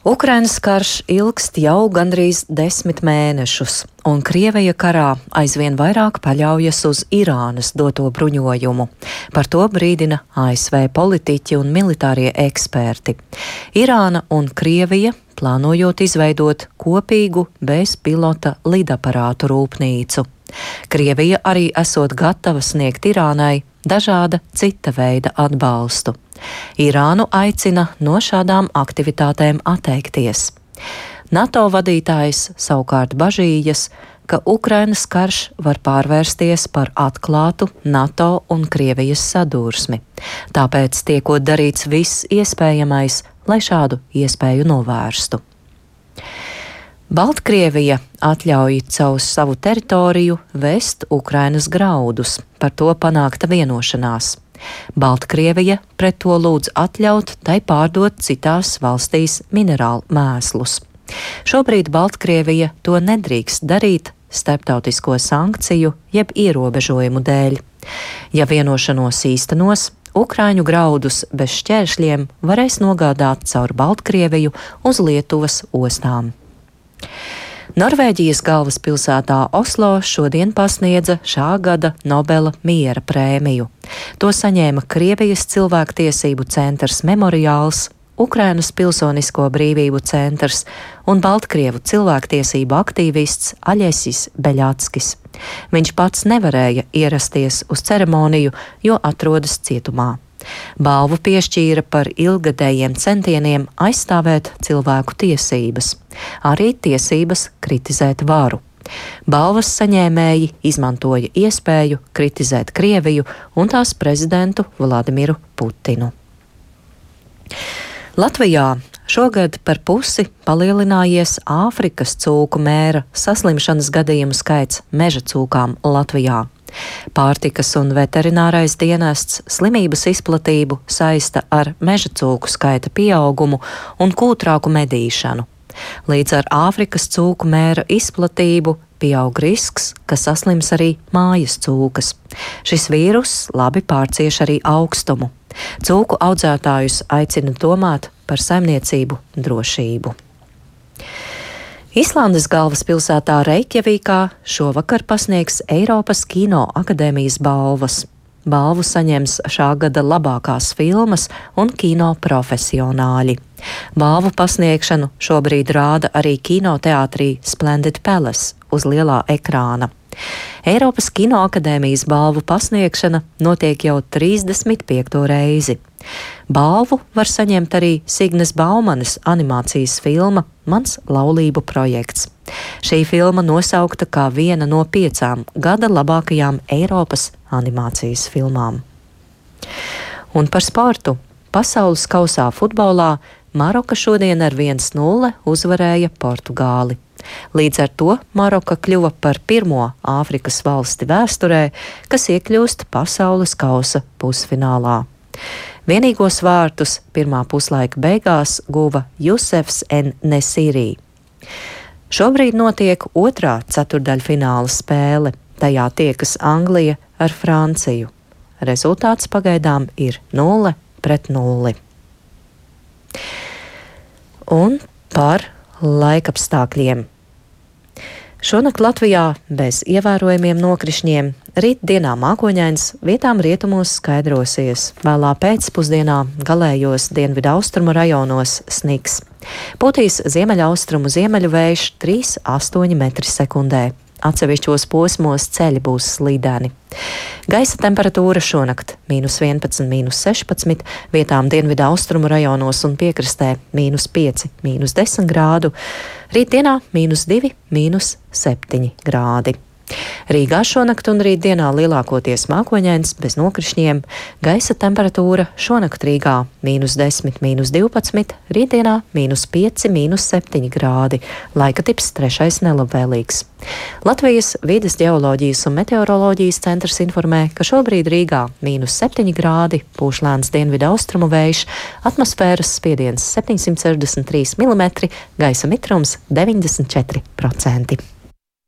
Ukrainas karš ilgst jau gandrīz 10 mēnešus, un Krievija karā aizvien vairāk paļaujas uz Irānas doto bruņojumu. Par to brīdina ASV politiķi un militārie eksperti. Irāna un Krievija plānojot izveidot kopīgu bezpilota lidaparātu rūpnīcu. Krievija arī esot gatava sniegt Irānai dažāda cita veida atbalstu. Irānu aicina no šādām aktivitātēm atteikties. NATO vadītājs savukārt bažījas, ka Ukrainas karš var pārvērsties par atklātu NATO un Krievijas sadursmi. Tāpēc tiekot darīts viss iespējamais, lai šādu iespēju novērstu. Baltkrievija atļauj caur savu teritoriju vest Ukrainas graudus, par to panākta vienošanās. Baltkrievija pret to lūdz atļaut tai pārdot citās valstīs minerālu mēslus. Šobrīd Baltkrievija to nedrīkst darīt starptautisko sankciju jeb ierobežojumu dēļ. Ja vienošanos īstenos, Ukraiņu graudus bez šķēršļiem varēs nogādāt caur Baltkrieviju uz Lietuvas ostām. Norvēģijas galvaspilsētā Oslo šodien pasniedza šā gada Nobela miera prēmiju. To saņēma Krievijas cilvēktiesību centrs Memoriāls, Ukrainas pilsonisko brīvību centrs un Baltkrievu cilvēktiesību aktīvists Aļesis Beļatskis. Viņš pats nevarēja ierasties uz ceremoniju, jo atrodas cietumā. Balvu piešķīra par ilgadējiem centieniem aizstāvēt cilvēku tiesības, arī tiesības kritizēt varu. Balvas saņēmēji izmantoja iespēju kritizēt Krieviju un tās prezidentu Vladimiru Putinu. Latvijā šogad par pusi palielinājies Āfrikas cūku mēra saslimšanas gadījumu skaits meža cūkām Latvijā. Pārtikas un veterinārais dienests slimības izplatību saista ar meža cūku skaita pieaugumu un kūtrāku medīšanu. Līdz ar Āfrikas cūku mēra izplatību pieaug risks, ka saslims arī mājas cūkas. Šis vīrus labi pārcieš arī augstumu. Cūku audzētājus aicina domāt par saimniecību drošību. Islandes galvaspilsētā Reikjavīkā šovakar pasniegs Eiropas Kino akadēmijas balvas. Balvu saņems šā gada labākās filmas un kino profesionāļi. Balvu pasniegšanu šobrīd rāda arī kinoteātrī Splendid Palace uz lielā ekrāna. Eiropas Kino akadēmijas balvu pasniegšana notiek jau 35. reizi. Balvu var saņemt arī Signes Baumanes animācijas filma Mans laulību projekts. Šī filma nosaukta kā viena no 5 gada labākajām Eiropas animācijas filmām. Un par sportu. Pasaules kausā futbolā Maroka šodien ar 1-0 uzvarēja Portugāli. Līdz ar to Maroka kļuva par pirmo Āfrikas valsti vēsturē, kas iekļūst pasaules kausa pusfinālā. Vienīgos vārtus pirmā puslaika beigās guva Jusefs En-Nesirī. Šobrīd notiek otrā ceturdaļfināla spēle. Tajā tiekas Anglija ar Franciju. Rezultāts pagaidām ir 0-0. Un par laikapstākļiem. Šonakt Latvijā bez ievērojamiem nokrišņiem, rīt dienā mākoņains, vietām rietumos skaidrosies, vēlā pēcpusdienā galējos dienvidaustrumu rajonos sniks. Pūtīs ziemeļaustrumu ziemeļu vējš 3,8 m/sekundē. Atsevišķos posmos ceļi būs slīdēni. Gaisa temperatūra šonakt -11, -16, vietām dienvidaustrumu rajonos un piekrastē -5, -10 grādu, rītdienā -2, -7 grādi. Rīgā šonakt un rītdienā lielākoties mākoņains bez nokrišņiem, gaisa temperatūra šonakt Rīgā -10, -12, rītdienā -5, -7 grādi, laika tips 3. nelabvēlīgs. Latvijas vides ģeoloģijas un meteoroloģijas centrs informē, ka šobrīd Rīgā -7 grādi, pūš lēns dienvidaustrumu vējš, atmosfēras spiediens 763 mm, gaisa mitrums 94%.